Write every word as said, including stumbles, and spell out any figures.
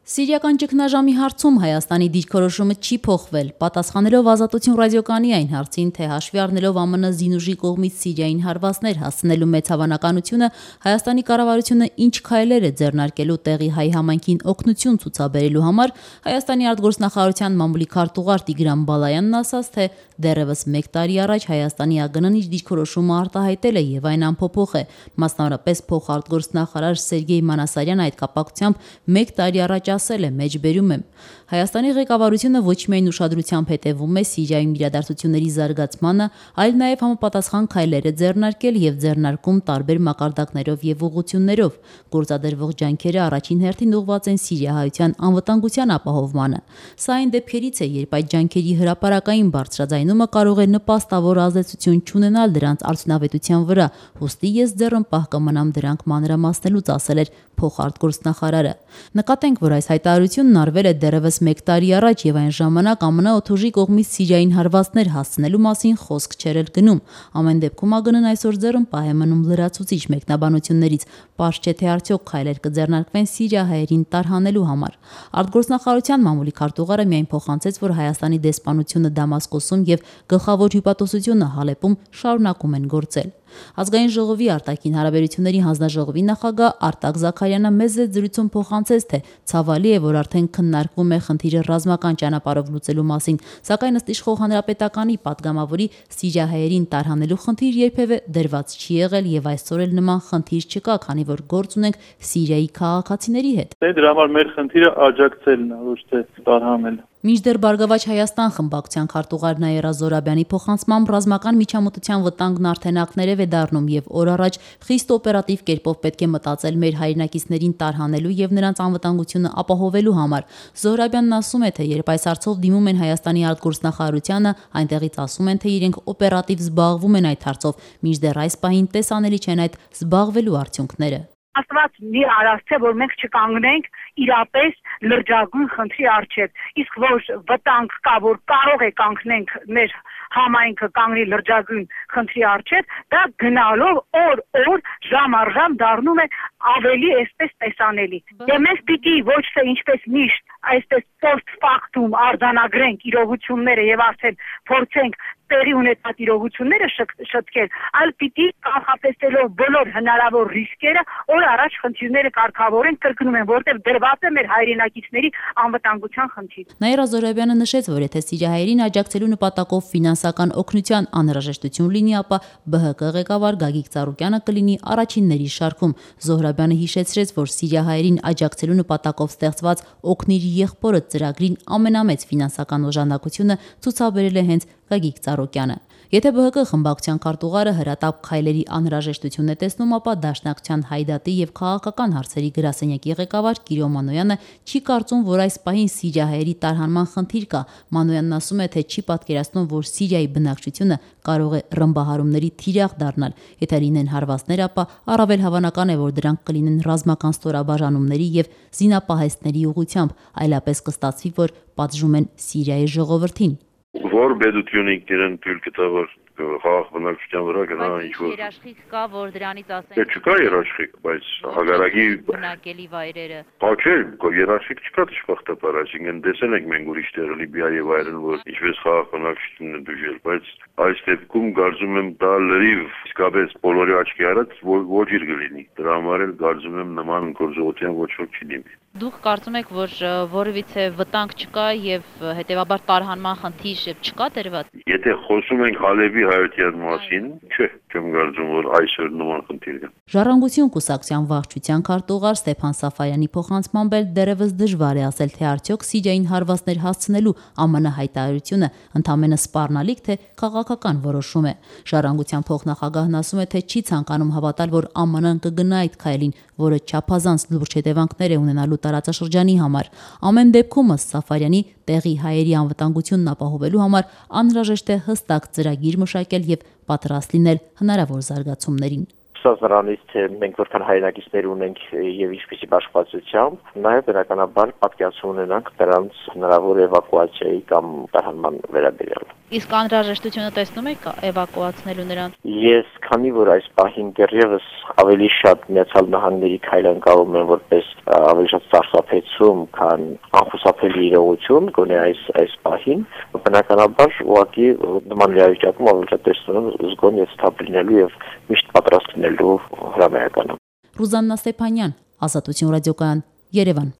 Սիրիական ճգնաժամի հարցում Հայաստանի դիրքորոշումը չի փոխվել, պատասխանելով Ազատություն ռադիոկայանի այն հարցին, թե հաշվի առնելով ԱՄՆ զինուժի կողմից Սիրիային հարվածներ հասցնելու մեծ հավանականությունը, Հայաստանի կառավարությունը ինչ քայլեր է ձեռնարկելու տեղի հայ համայնքին օգնություն ցուցաբերելու համար, Հայաստանի արտգործնախարարության մամուլի քարտուղար Տիգրան Բալայանն ասաց, թե դեռևս մեկ տարի առաջ Հայաստանի ԱԳՆ-ն իր դիրքորոշումը արտահայտել է եւ այն անփոփոխ է, մասնավորապես փոխարտգործնախարար Սերգեյ Մանասարյանը այդ կապակցությամբ մեկ տարի առաջ ասել է, մեջբերում եմ. Հայաստանի ղեկավարությունը ոչ միայն ուշադրությամբ հետևում է Սիրիայում իրադարձությունների զարգացմանը, այլ նաև համապատասխան քայլեր է ձեռնարկել եւ ձեռնարկում տարբեր մակարդակներով եւ ուղղություններով։ Գործադրվող ջանքերը առաջին հերթին ուղղված են սիրիահայության անվտանգության ապահովմանը։ Սա այն դեպքերից է, երբ այդ ջանքերի հրապարակային բարձրաձայնումը կարող է նպաստավոր ազդեցություն չունենալ դրանց արդյունավետության վրա, ուստի ես ձեռն պահ կմնամ դրանք մանրամասնելուց, ասել էր փոխարտգործնախարարը։ Նկատենք, որ այս հայտարարությունն արվել է դեռևս մեկ տարի առաջ եւ այն ժամանակ ԱՄՆ օդուժի կողմից Սիրիային հարվածներ հասցնելու մասին խոսք չէր էլ գնում։ Ամեն դեպքում ԱԳՆ-ն այսօր ձեռն պահ է մնում լրացուցիչ մեկնաբանություններից, պարզ չէ թե արդյոք քայլեր կձեռնարկվեն սիրիահայերին տարհանելու համար։ Արտգործնախարարության մամուլի քարտուղարը միայն փոխանցեց, որ Հայաստանի դեսպանությունը Դամասկոսում եւ գլխավոր հյուպատոսությունը Հալեպում շարունակում են գործել։ Ազգային ժողովի արտաքին հարաբերությունների հանձնաժողովի նախագահ Արտակ Զաքարյանը մեծ զրույցում փոխանցեց, թե ցավալի է, որ արդեն քննարկվում է խնդիրը ռազմական ճանապարհով լուծելու մասին, սակայն ըստ իշխող հանրապետականի падգամավորի սիրիահայերին տարհանելու խնդիր երբևէ դրված չի եղել եւ այսօր էլ նման խնդիր չկա, քանի որ գործ ունենք Սիրիայի քաղաքացիների հետ։ Դրա համար մեր խնդիրը աջակցելն է, ոչ թե տարհանելը։ Մինչդեռ Բարգավաճ Հայաստան խմբակցության քարտուղար Նաիրա Զորաբյանի փոխանցմամբ ռազմական միջամտության վտանգն արդեն ակներև է դառնում եւ օր առաջ խիստ օպերատիվ կերպով պետք է մտածել մեր հայրենակիցներին տարհանելու եւ նրանց անվտանգությունը ապահովելու համար։ Զորաբյանն ասում է, թե երբ այս հարցով դիմում են Հայաստանի արտգործնախարարությանը, այնտեղից ասում են, թե իրենք օպերատիվ զբաղվում են այդ հարցով, մինչդեռ այս պահին տեսանելի չեն այդ զբաղվելու արդյունքները։ Աստված մի արարցե, որ մենք չկանգնենք իրապես լրջագույն խնդրի առջև, իսկ որ վտանգ կա, որ կարող է կանգնենք մեր համայնքը կանգնի լրջագույն խնդրի առջև, դա գնալով օր-օր ժամ առ ժամ դառնում է ավելի այսպես տեսանելի։ Եվ մենք պիտի ոչ թե ինչպես միշտ այսպես post factum արձանագրենք իրողությունները եւ արդեն փորձենք տեղի ունեցած իրողությունները շտկել, այլ պիտի կանխատեսելով բոլոր հնարավոր ռիսկերը օր առաջ խնդիրները կարգավորենք, կրկնում եմ, որտեղ դրված է մեր հայրենակիցների անվտանգության խնդիր։ Նաիրա Զորաբյանը նշեց, որ եթե սիրիահայերին աջակցելու նպատակով ֆինանսական օգնության անհրաժեշտություն լինի, ապա B H K ղեկավար Գագիկ Ծառուկյանը կլինի առաջինների շարքում։ Զոհրաբյանը հիշեցրեց, որ սիրիահայերին աջակցելու նպատակով ստեղծված «Օգնիր եղբորդ» ծրագրին ամենամեծ ֆինանսական օժանդակությունը ցուցաբերել է հենց Գագիկ Ծառուկյանը։ Եթե B H K խմբակցության քարտուղարը հրատապ քայլերի անհրաժեշտություն է տեսնում, ապա Դաշնակցության Հայդատի եւ քաղաքական հարցերի գրասենյակի ղեկավար Կիրո Մանոյանը չի կարծում, որ այս պահին սիրիահայերի տարհանման խնդիր կա։ Մանոյանն ասում է, թե չի պատկերացնում, որ Սիրիայի բնակչությունը կարող է ռմբահարումների թիրախ դառնալ։ Եթե լինեն հարվածներ, ապա առավել հավանական է, որ դրանք կլինեն ռազմական ստորաբաժանումների եւ զինապահեստների ուղղությամբ, այլապես կստացվի, որ պատժում են Սիրիայի ժողովրդին։ Որ բեդությունը իրեն թույլ կտա, որ խաղաղ բնակչության վրա գնա ինչ-որ երաշխիք կա, որ դրանից ասեն։ Դե չկա երաշխիք, բայց հագարակի բնակելի վայրերը։ Հա չէ, երաշխիք չկա դժբախտաբար, այսինքն տեսել ենք մենք ուրիշ տեղը Լիբիայի վայրեն, որ ինչպես խաղաղ բնակչությունն է դժել, բայց այս դեպքում կարծում եմ դա լրիվ իսկապես բոլորի աչքի առաջ ոչ իր կլինի։ Դրա համար էլ կարծում եմ նման գործողության ոչ ոք չի դիմի։ Դուք կարծում եք, որ որևիցե վտանգ չկա եւ հետեւաբար տարհանման խնդիր չկա դրված։ Եթե խոսում ենք Հալեպի հայության մասին, չէ, չեմ կարծում, որ այսօր նման խնդիր կա։ Ժառանգություն կուսակցության վարչության քարտուղար Ստեփան Սաֆարյանի փոխանցմամբ էլ դեռևս դժվար է ասել, թե արդյոք Սիրիային հարվածներ հասցնելու ԱՄՆ հայտարարությունը ընդամենը սպառնալիք, թե քաղաքական որոշում է։ Ժառանգության փոխնախագահն ասում է, թե չի ցանկանում հավատալ, որ ԱՄՆ-ն կգնա այդ քայլին, որը չափազանց լուրջ հետևանքներ է ունենալու տարածաշրջանի համար։ Ամեն դեպքում, ըստ Սաֆարյանի, տեղի հայերի անվտանգությունն ապահովելու համար անհրաժեշտ է հստակ ծրագիր մշակել եւ պատրաստ լինել հնարավոր զարգացումներին։ Խոսած նրանից, թե մենք որքան հայրենակիցներ ունենք եւ ինչպիսի բաշխվածությամբ, նաեւ բնականաբար պատկերացում ունենանք նրանց հնարավոր էվակուացիայի կամ տարհանման վերաբերյալ։ Իսկ անհրաժեշտությունը տեսնում եք էվակուացնելու նրանց։ Ես քանի որ այս պահին դեռևս ավելի շատ Միացյալ Նահանգների քայլանկալում են որպես ավելի շատ սարսափեցում, քան անխուսափելի իրողություն, գոնե այս այս պահին, բնականաբար ուղղակի նման իրավիճակում ավելի շատ տեսնում զգոն եւ ստաբիլ լինելու եւ միշտ պատրաստ լինելու հրամայականը։ Ռուզաննա Ստեփանյան, Ազատություն ռադիոկայան, Երևան։